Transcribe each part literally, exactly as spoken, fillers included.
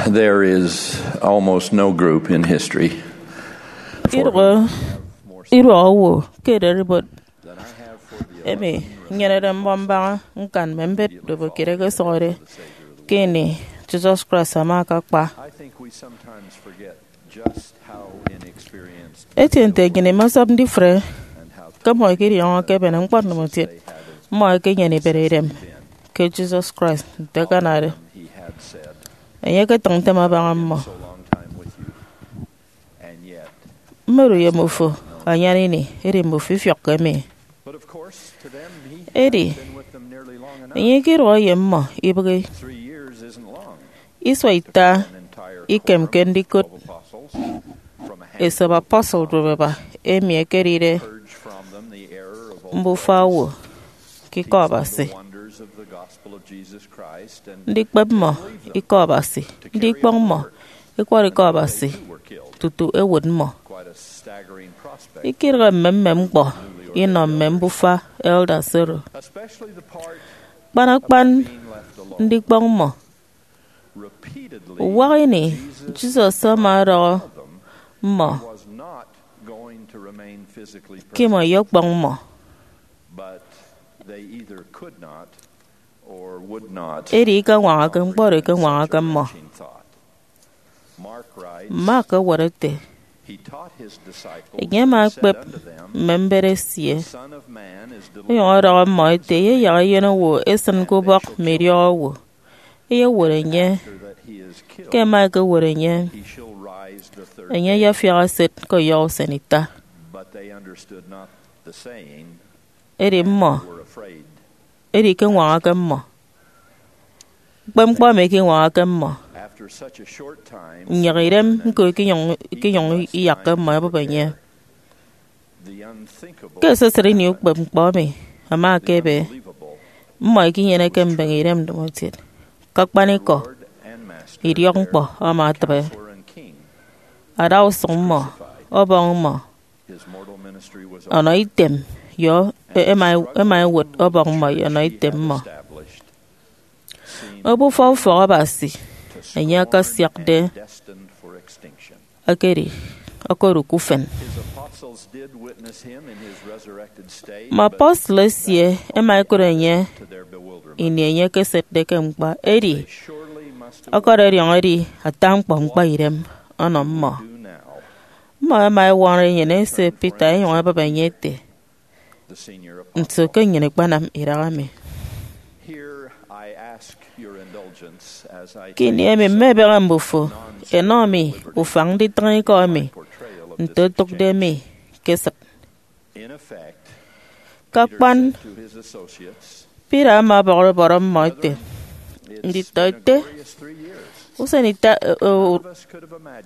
There is almost no group in history for idụhe iduọk owo ke ererimbot emi nyenede mbọ mbaña ñkan mme mbet ndobo kiet ẹkesọñọde ke ini Jesus Christ ama akakpa. I think we sometimes forget just how inexperienced Etie nte nnyịn imasọp ndifre and how ke mmọ ẹkedidiọñọ ke ebene ñkpọ ndomokiet mmọ ẹkenyene ibet idem ke Jesus Christ nte akanade. He had said, Enye eketịñ ntem abaña mmọ. So long time with you, and yet Mmedu ye mmufo anyan ini, edi mmufo ifiọkke mi. But of course, to them, he Edi, had been with them nearly long enough. Enye ikiduọ ye mmọ ibịghi. Three years isn't long. Isua ita ikemke ndikot esop apostle dubeba emi ekedide mbufa owo ke Ikọ Abasi, ndikpep mmọ Ikọ Abasi, ndikpọñ mmọ ikwọrọ Ikọ Abasi tutu ewot mmọ. Ikidịghe mmemmem ñkpọ inọ mme mbufa elders oro, kpan akpan ndikpọñ mmọ. Uwak ini, Jesus ama ọdọhọ mmọ ke imọ iyọkpọñ mmọ. Edi ikañwañake ñkpọ oro ikeñwañake mmọ. Mark ewet ete, Enye ama ekpep mme mbet esie, onyụñ ọdọhọ mmọ ete, Eyeyak Eyen Owo esịn ke ubọk mme idiọk owo, eyewot enye. Ke ẹma ẹkewot enye, enye ayafiak esịt ke ọyọhọ usen ita. Edi mmọ, edi ikeñwañake mmọ. Ñkpep ñkpọ emi ikeñwañake mmọ. Nnyịk idem ñko ikinyụñ, ikinyụñ iyakke mmọ ẹbụp enye. Ke esesịt ini ukpep ñkpọ emi ama ekebe, mmọ ikinyeneke mbeñe idem ndomokiet. Ke akpanikọ, idiọkñkpọ ama etịbe. Adausụñ mmọ, ọbọñ mmọ, ọnọ item, ye ẹma, ẹma ẹwot ọbọñ mmọ ye ọnọ item mmọ. Obufa ufọk Abasi enye akasiakde ekedi okodụk ufen. Mme apostle esie ẹma ẹkụt enye ini enye ekesetde ke ñkpa, edi ọkọdọdiọñ edi ata ñkpọ ñkpaidem ọnọ mmọ. Mmọ ẹma ẹwọrọ enyịn ese Peter ẹnyụñ ẹbụp enye ẹte, Nso ke nnyịn ikpanam idaha mi? Ke ini emi mmebeñe mbufo ẹnọ mi ufañ nditịñ ikọ emi nte otụkde mi ke esịt. Ke akpan, Peter ama ọbọrọ ubọrọ mmọ ete, Nditọete, usen ita, eh, eh,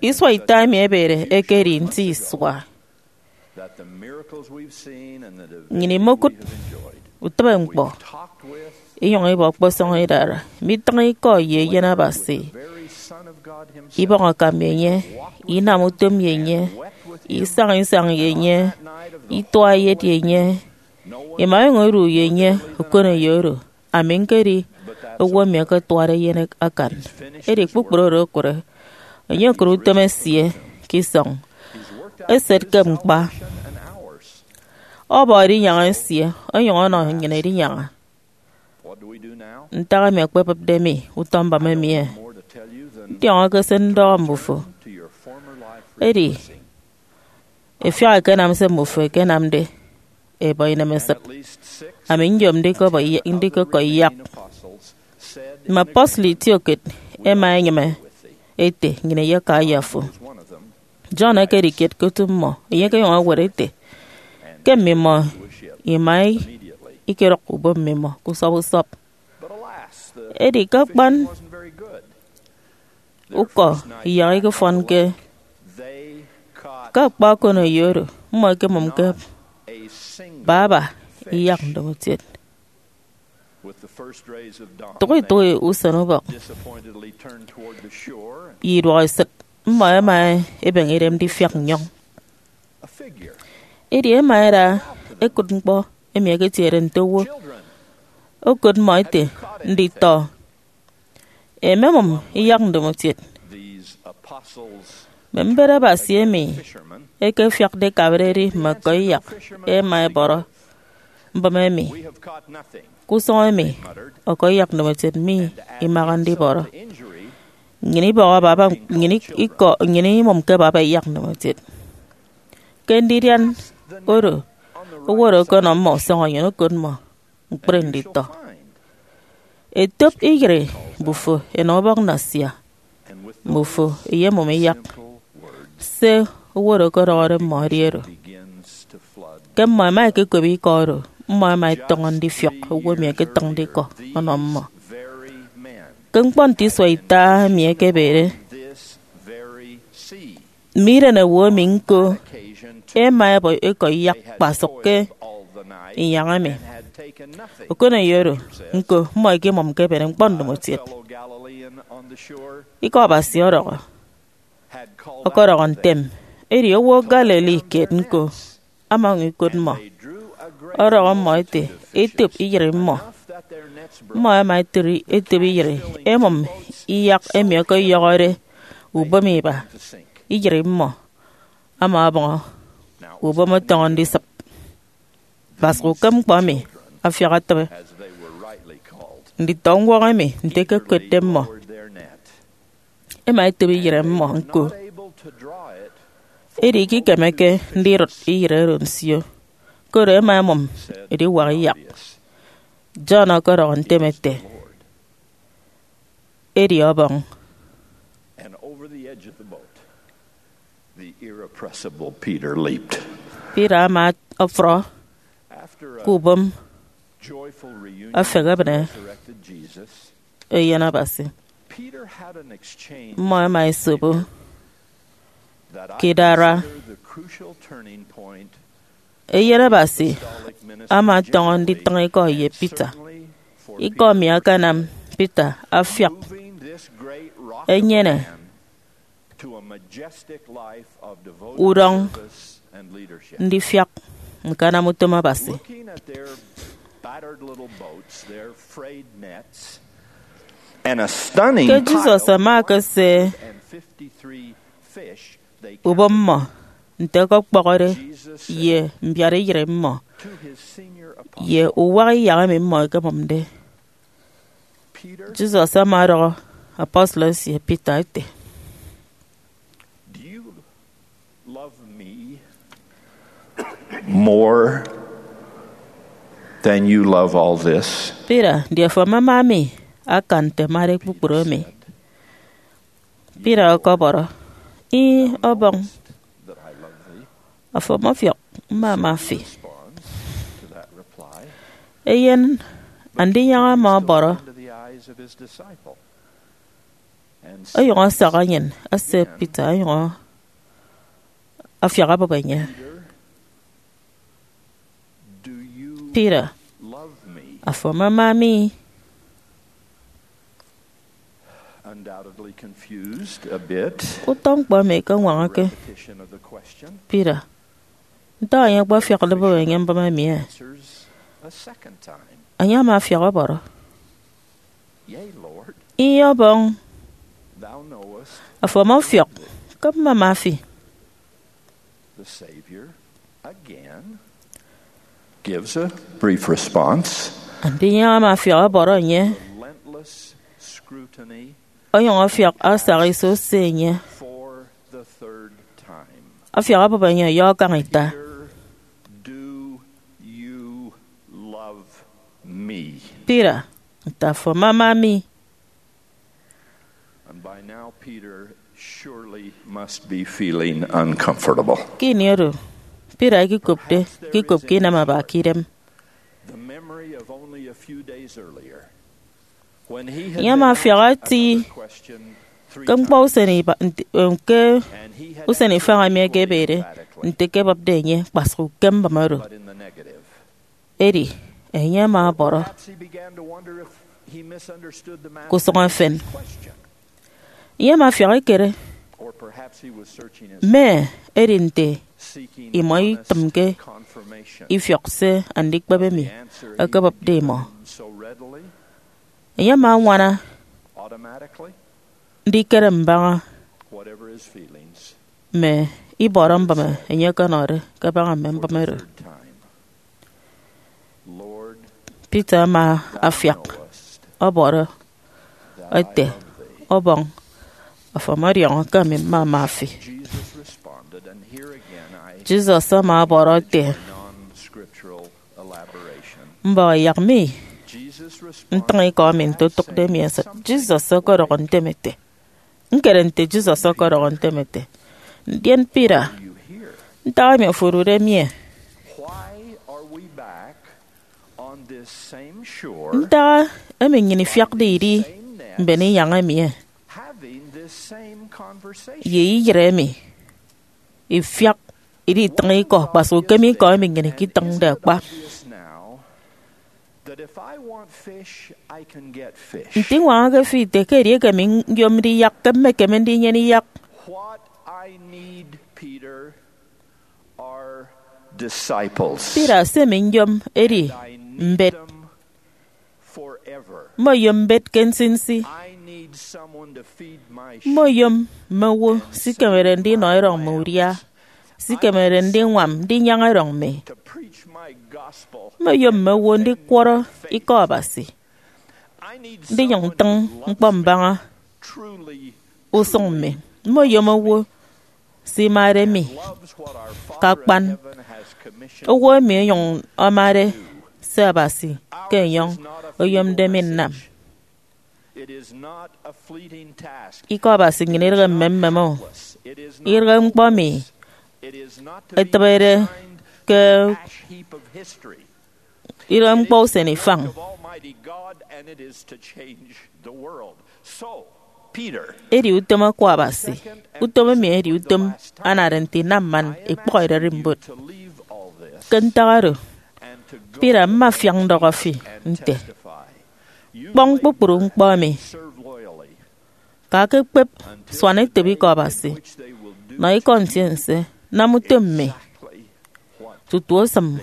isua ita emi ebede ekedi nti isua. Nnyịn imokụt utịbe ñkpọ, inyụñ iba ọkpọsọñ idara, midịñ ikọ ye Eyen Abasi, ibọñ akam ye enye, inam utom ye enye, isañ isañ ye enye, itua eyet ye enye, ima enyụñ idu ye enye okoneyo oro. Ami ñkedi owo emi ẹketuade eyen akan. Edi kpukpru oro okụre, enye okụt utom esie ke isọñ, eset ke ñkpa, ọbọ edinyaña esie, onyụñ ọnọ nnyịn edinyaña. Ntak emi ẹkpebịpde mi utọ mbọm emi, eh? Ndiọñọke se ndọhọ mbufo. Edi, ẹfiak ẹkenam se mmufo ẹkenamde, ẹbọ inemesịt. Ami nyom ndikọbọ iya-, ndikọkọ iyak. Mme apostle itiokiet ẹma ẹnyịme ete, Nnyịn iyaka ye afo. John ekedi kiet ke otu mmọ, enye ekenyụñ ewet ete, Ke mmimọ ima ikedụk ubon mmimọ ke usọp usọp. Edi ke akpan ukọ iyak ikefọnke ke akpa okoneyo oro, mmọ ẹkemụmke baba iyak ndomokiet. Tụk itụk usen ubọk ye iduọk esịt, mmọ ẹma ẹbeñe idem ndifiak nnyọñ. Edi ẹma ẹda ẹkụt ñkpọ emi ẹketiede nte owo. Okot mmọ ete, Nditọ, ememụm iyak ndomokiet. Mme mbet Abasi emi ẹkefiakde ikabareri mme ọkọiyak ẹma ẹbọrọ mbịm emi. Ke usụñ emi, ọkọiyak ndomokiet mi imaha ndibọrọ. Nnyịn ibọhọ baba, nnyịn ikọ, nnyịn imụmke baba iyak ndomokiet. Ke ndidian oro, owo oro ọkọnọ mmọ usọñ onyụñ okot mmọ ñkpri nditọ. Etop iyịre mbufo ẹnọ ubọk nnasia, mbufo ẹyemụm iyak. Se owo oro ọkọdọhọde mmọ edi oro. Ke mmọ ẹma ẹkekop ikọ oro, mmọ ẹma ẹtọñọ ndifiọk owo emi ẹketịñde ikọ ọnọ mmọ. Ke ñkpọ nte isua ita emi ẹkebede, mme iren owo emi ñko ẹma ẹbọ ikọ iyak kpasụk ke inyañ emi. Okoneyo oro, ñko mmọ ẹkemụmke ẹbede ñkpọ ndomokiet. Ikọ Abasi ọdọhọ, ọkọdọhọ ntem, edi owo Galilee kiet ñko ama onyụñ okot mmọ, ọdọhọ mmọ ete, etop iyịre mmọ. Mmọ ẹma ẹtụri etop iyịre, ẹmụm iyak emi ọkọyọhọde ubom iba, iyịre mmọ ama ọbọñọ, ubom ọtọñọ ndisịp. Kpasụk ukem ñkpọ emi afiak atịbe nditọ ñwọk emi nte ẹkekotde mmọ. Ẹma ẹtop iyịre mmọ ñko, edi ikikemeke ndidụt iyịre oro nsio, koro ẹma ẹmụm ediwak iyak. John ọkọdọhọ ntem ete, edi ọbọñ. And over the edge of the boat, the irrepressible Peter leaped. Peter ama ọfrọ After ke a ubom joyful reunion afehe with the ebịne resurrected Jesus, eyen Abasi. Peter had an exchange Mmọ ẹma ẹsobo that I ke idara consider the crucial turning point. Eyen Abasi ama ọtọñọ nditịñ ikọ ye Peter. Ikọ emi akanam Peter afiak enyene udọñ ndifiak ñkanam utom Abasi. Ke Jesus ama ekese ubom mmọ nte ẹkọkpọhọde ye mbiara iyịre mmọ ye uwak iyak emi mmọ ẹkemụmde, Jesus ama ọdọhọ apostle esie Peter ete, Do you love me more than you love all this? Peter, ndi afo amama mi akan nte mmade kpukpru emi? Peter ọkọbọrọ, Ih, Ọbọñ, afo ọmọfiọk mmama fi. Eyen Andinyaña ama ọbọrọ, onyụñ asak enyịn ese Peter, onyụñ afiak abụp enye, Peter, afo amama mi? Undoubtedly confused a bit, Utọ ñkpọ emi ikeñwañake repetition of the question Peter, nte enye akpafiakde obụp enye mbịm emi, eh? Answers a second time. Enye ama afiak ọbọrọ, Yea, Lord, Ih, Ọbọñ, thou knowest. Afo ọmọfiọk ke mmama fi. The Savior again gives a brief response. Andinyaña ama afiak ọbọrọ enye, Relentless scrutiny onyụñ afiak asak iso ose enye, for the third time. Afiak abụp enye ọyọ akañ ita. Peter, do you love me? Peter, nte afo amama mi? And by now, Peter surely must be feeling uncomfortable. Ke ini oro, Peter ikikopde, ikikopke inam aba ke idem. The memory of only a few days earlier, when he had Enye ama been afiak asked eti another question three ke ñkpọ times. Usen iba-, nte, em, ke And he had usen answered ifañ emi equally ekebede emphatically, nte ke ebịpde enye kpasụk ukem mbịm oro. But in the negative. Edi enye ama ọbọrọ. Perhaps he began to wonder if he misunderstood the Ke usụñ efen, question. Enye ama afiak ekere, Or perhaps he was searching his mme edi nte seeking imọ honest itịmke confirmation ifiọk se andikpep of emi the answer he ekebịpde had imọ. Given so readily, Enye ama añwana automatically. Ndikere mbaña mme ibọrọ mbịme enye ọkọnọde kabaña mme mbịme oro. Peter ama afiak ọbọrọ ete, Ọbọñ, afo ọmọdiọñọ ke ami mmama fi. Jesus ama ọbọrọ ete, Mbọhọ yak mi ntịñ ikọ emi nte otụkde mi esịt. Jesus ọkọdọhọ ntem ete, Ñkere nte Jesus ọkọdọhọ ntem ete, Ndien Peter, ntak emi ofo odude mi e? Ntak emi nnyịn ifiakde idi mben inyañ emi e? Ye iyịre emi ifiak idi itịñ ikọ, kpasụk ukem ikọ emi nnyịn iketịñde akpa. Nte iñwañake fi ite ke edieke mi nyomde iyak, ke mmekeme ndinyene iyak? Peter, se mi nyom edi mbet. Mmoyom mbet ke nsinsi. Mmoyom mme owo sikemede ndinọ erọñ mme udia, sikemede ndiñwam ndinyañ erọñ mi. Mmoyom mme owo ndikwọrọ ikọ Abasi, ndinyụñ ntịñ ñkpọ mbaña usụñ mi. Mmoyom owo simade mi ke akpan, owo emi onyụñ amade se Abasi ke enyọñ oyomde mi nnam. Ikọ Abasi nnyịn idịghe mmemmem o. Idịghe ñkpọ emi etịbede ke, idịghe ñkpọ usen ifañ. Edi utom Akwa Abasi. Utom emi edi utom anade nte inam man ikpọk ererimbot. Ke ntak oro, Peter, mma afiak ndọhọ fi nte, kpọñ kpukpru ñkpọ emi, ka ke kpep, suan etop ikọ Abasi, nọ ikọ ntiense, nam utom mi, tutu osịm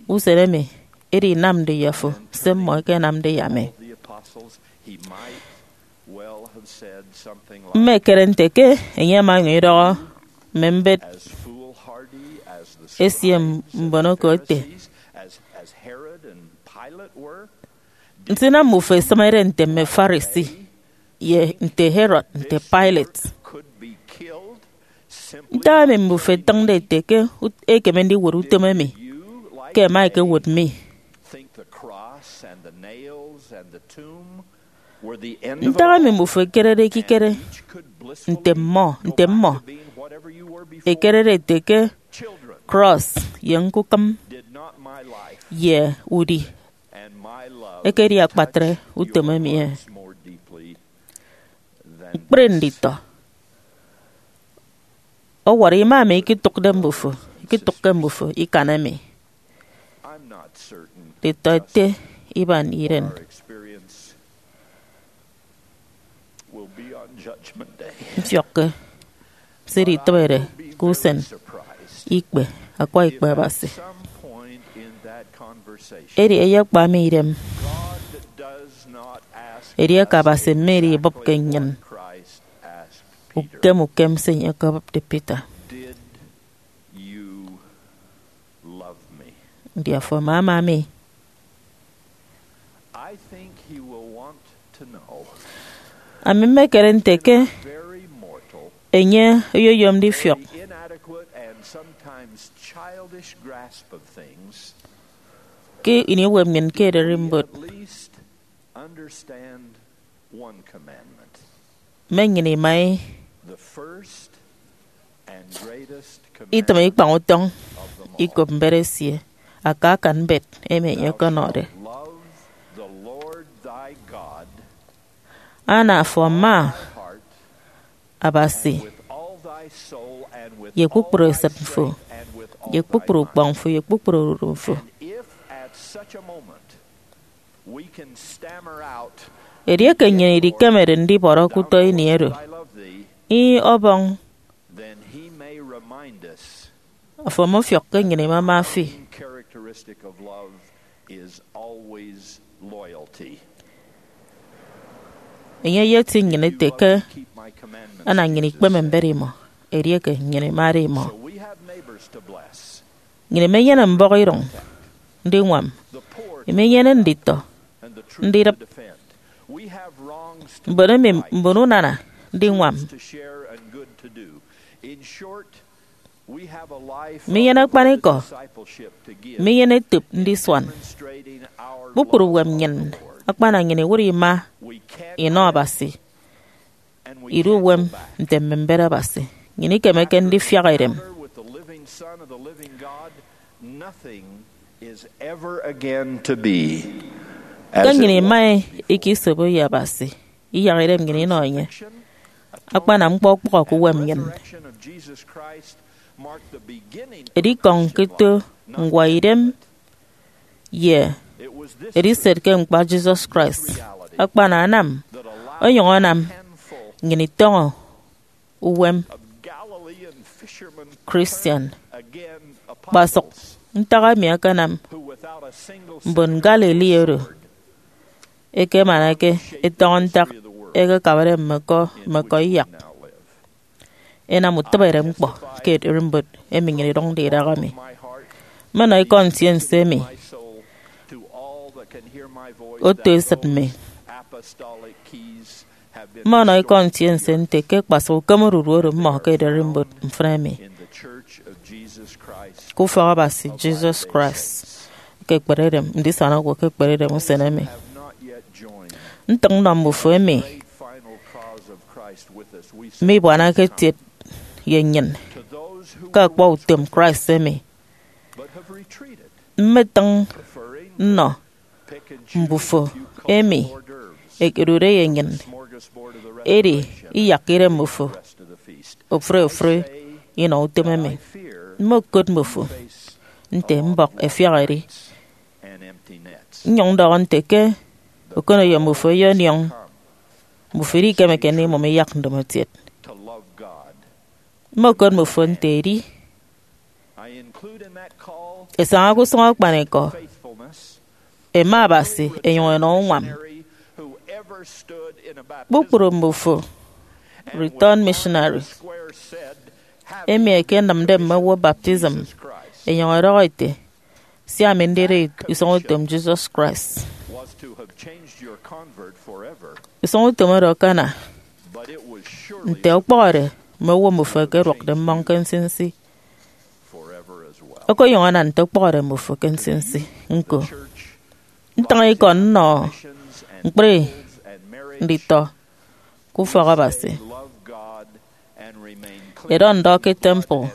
usen emi edinamde ye afo se mmọ ẹkenamde ye ami. Mma ekere nte ke enye ama onyụñ idọhọ mme mbet esie mbonoko ete, Nsinam mbufo ẹsịmede nte mme Pharisee, ye nte Herod, nte Pilate. Ntak emi mbufo ẹtịñde ete ke ut-, ekeme ndiwot utom emi ke ẹma ẹkewot mi? Ntak emi mbufo ekerede ekikere nte mmọ, nte mmọ ekerede ete ke krọs ye ñkukịm ye udi ekedi akpatre utom emi? Ñkpri nditọ ọwọrọ ima emi ikitụkde mbufo, ikitụkke mbufo ikan emi. Nditọ ete iban iren. Mfiọkke se iditịbede ke usen ikpe, akwa ikpe Abasi. Edi eyekpa mi idem edieke Abasi mme idibụpke nnyịn ukem ukem se enye ọkọbụpde Peter, Ndi afo ama ama mi? Ami mmekere nte ke enye oyoyom ndifiọk ke ini uwem nnyịn ke ererimbot, mme nnyịn ima itịm ikpañ utọñ ikop mbet esie, aka akan mbet emi enye ọkọnọde: Ana afo ama Abasi ye kpukpru esịt fo, ye kpukpru ukpọñ fo, ye kpukpru odudu fo. Edieke nnyịn idikemede ndibọrọ ke utọ ini oro, ih, Ọbọñ, afo ọmọfiọk ke nnyịn imama fi. Enye eyeti nnyịn ete ke ana nnyịn ikpeme mbet imọ, edieke nnyịn imade imọ. Nnyịn imenyene mbọhọ iroñ ndiñwam, imenyene nditọ ndidịp, mbon emi mbon unana ndiñwam, minyene akpanikọ, minyene etop ndisuan. Kpukpru uwem nnyịn akpana nnyịn iwụt ima inọ Abasi, idu uwem nte mme mbet Abasi. Nnyịn ikemeke ndifiak edem. Ke nnyịn ima ika isobo ye Abasi, iyak idem nnyịn inọ enye. Akpana ñkpọ ọkpọhọ ke uwem nnyịn. Edikọñ ke eto ñkwa idem ye ediset ke ñkpa Jesus Christ akpana anam onyụñ anam nnyịn itọñọ uwem Christian. Kpasụk ntak emi akanam mbon Galilee oro ẹkemanake ẹtọñọ ntak ẹkekabade mme ọkọ mme ọkọ iyak. Inam utịbeere ñkpọ ke ererimbot emi nnyịn idụñde idaha mi. Mmọnọ ikọ ntiense emi oto esịt mi. Mmọnọ ikọ ntiense nte ke kpasụk ukem odudu oro mmọ ke ererimbot mfịna emi. Ke ufọk Abasi Jesus Christ ke ekpere edem, ndisana owo ke ekpere edem usen emi. Ntịñ nnọ mbufo emi mibuanake etiet ye nnyịn ke akpa utom Christ emi. Mmetịñ nnọ mbufo emi ẹkedude ye nnyịn, edi iyakke idem mbufo ofụri ofụri inọ utom emi. Mmokot mbufo nte mbọk ẹfiak ẹdi. Nnyụñ ndọhọ nte ke okoneyo mbufo eyediọñ mbufo, edi ikemeke ndimụm iyak ndomotiet. Mmokot mbufo nte edi ẹsaña ke usụñ akpanikọ, ẹma Abasi, ẹnyụñ ẹnọ uñwam. Kpukpru mbufo return missionary emi ẹkenịmde mme owo baptism, ẹnyụñ ẹdọhọ ẹte, sia ami ndida usụñutom Jesus Christ. Usụñutom oro akana nte ọkpọhọde mme owo mbufo ẹkeduọkde mmọñ ke nsinsi. Okonyụñ ana nte ọkpọhọde mbufo ke nsinsi ñko. Ntịñ ikọ nnọ ñkpri nditọ ke ufọk Abasi. Ẹdọ ndọ ke temple,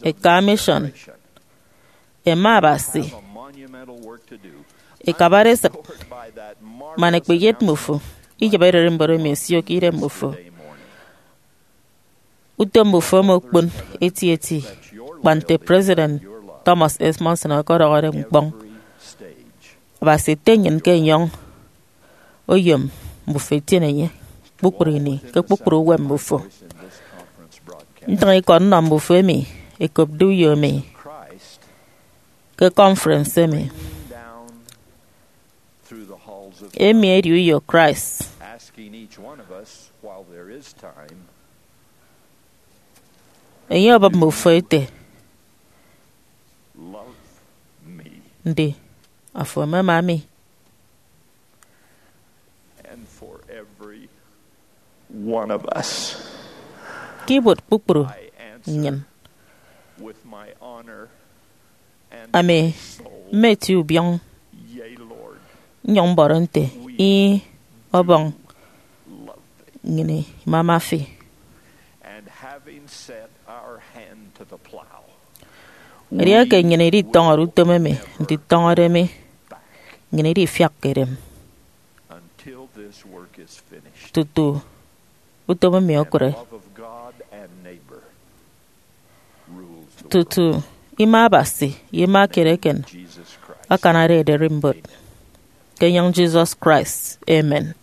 ẹka mission, ẹma Abasi, ẹkabade esịt, man ẹkpeyet mbufo iyịp ererimbot emi ẹsio ke idem mbufo. Utom mbufo omokpon etieti, kpa nte President Thomas S. Monson ọkọdọhọde ñkpọñ. Abasi ete nnyịn ke enyọñ oyom mbufo etiene enye kpukpru ini ke kpukpru uwem mbufo. Ntịñ ikọ nnọ mbufo emi ẹkopde uyo mi ke conference emi. Emi edi uyo Christ. Enye obụp mmufo ete, ndi afo emema mi? Ke ibuot kpukpru nnyịn, ami mmetie ubiọñ nnyụñ mbọrọ nte, Ih, Ọbọñ, nnyịn imama fi. Edieke nnyịn iditọñọde utom emi nditọñọde mi, nnyịn idifiakke edem tutu utom emi okụre, tutu ima Abasi ye ima kiet eken akanade ererimbot. Ke enyịñ Jesus Christ, amen.